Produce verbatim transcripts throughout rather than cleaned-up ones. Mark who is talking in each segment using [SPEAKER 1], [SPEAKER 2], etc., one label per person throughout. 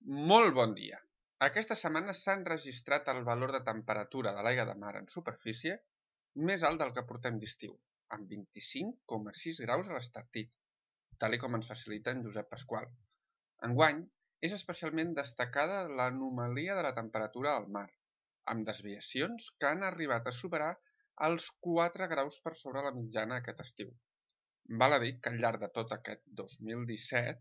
[SPEAKER 1] Molt bon dia! Aquesta setmana s'ha enregistrat el valor de temperatura de l'aigua de mar en superfície més alt del que portem d'estiu, amb vint-i-cinc coma sis graus a l'Estartit, tal com ens facilita en Josep Pasqual. Enguany, és especialment destacada l'anomalia de la temperatura al mar, amb desviacions que han arribat a superar els quatre graus per sobre la mitjana aquest estiu. Val a dir que al llarg de tot aquest dos mil disset,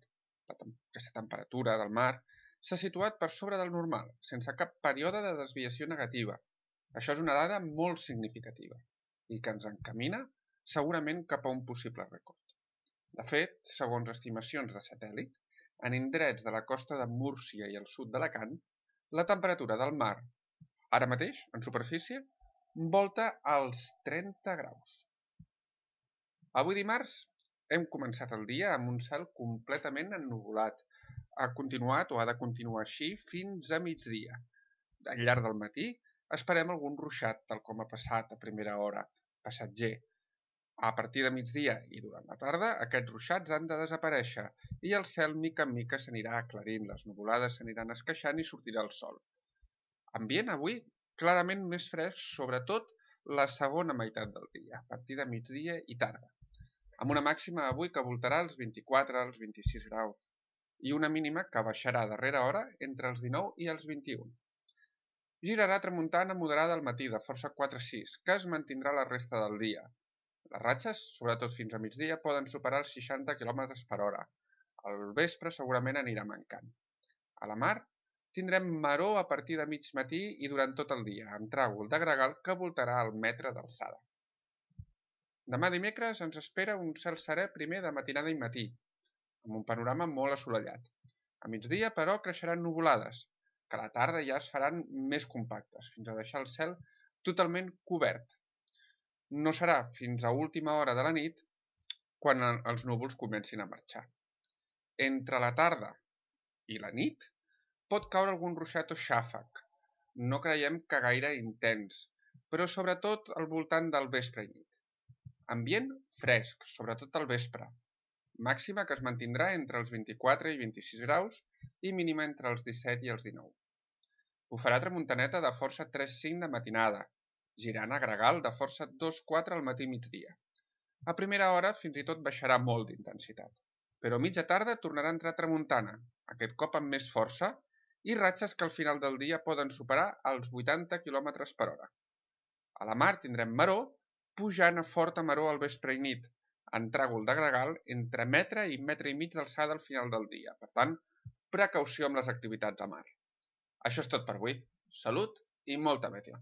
[SPEAKER 1] aquesta temperatura del mar s'ha situat per sobre del normal, sense cap període de desviació negativa. Això és una dada molt significativa i que ens encamina segurament cap a un possible rècord. De fet, segons estimacions de satèl·lit, en indrets de la costa de Múrcia i el sud d'Alacant, la temperatura del mar, ara mateix, en superfície, volta als trenta graus. Avui dimarts hem començat el dia amb un cel completament ennuvolat. Ha continuat o ha de continuar així fins a migdia. Al llarg del matí esperem algun ruixat, tal com ha passat a primera hora, passatger. A partir de migdia i durant la tarda, aquests ruixats han de desaparèixer i el cel mica en mica s'anirà aclarint, les nuvolades s'aniran esqueixant i sortirà el sol. Ambient avui clarament més fresc, sobretot la segona meitat del dia, a partir de migdia i tarda, amb una màxima avui que voltarà els vint-i-quatre als vint-i-sis graus i una mínima que baixarà a darrera hora entre els dinou i els vint-i-un. Girarà tramuntana moderada al matí de força quatre sis, que es mantindrà la resta del dia. Les ratxes, sobretot fins a migdia, poden superar els seixanta quilòmetres per hora. Al vespre segurament anirà mancant. A la mar tindrem maror a partir de mig matí i durant tot el dia, amb tràgol de gregal que voltarà al metre d'alçada. Demà dimecres ens espera un cel serè primer de matinada i matí, amb un panorama molt assolellat. A migdia, però, creixeran nuvolades, que a la tarda ja es faran més compactes, fins a deixar el cel totalment cobert. No serà fins a última hora de la nit quan els núvols comencin a marxar. Entre la tarda i la nit pot caure algun ruixat o xàfec. No creiem que gaire intens, però sobretot al voltant del vespre i nit. Ambient fresc, sobretot al vespre. Màxima que es mantindrà entre els vint-i-quatre i vint-i-sis graus i mínima entre els disset i els dinou. Bufarà tramuntaneta de força tres cinc de matinada, girant a gregal de força dos quatre al matí migdia. A primera hora fins i tot baixarà molt d'intensitat, però a mitja tarda tornarà a entrar tramuntana, aquest cop amb més força, i ratxes que al final del dia poden superar els vuitanta quilòmetres per hora. A la mar tindrem maror, pujant a forta maror al vespre i nit, en tràgol de gregal entre metre i metre i mig d'alçada al final del dia. Per tant, precaució amb les activitats a mar. Això és tot per avui. Salut i molta meteo.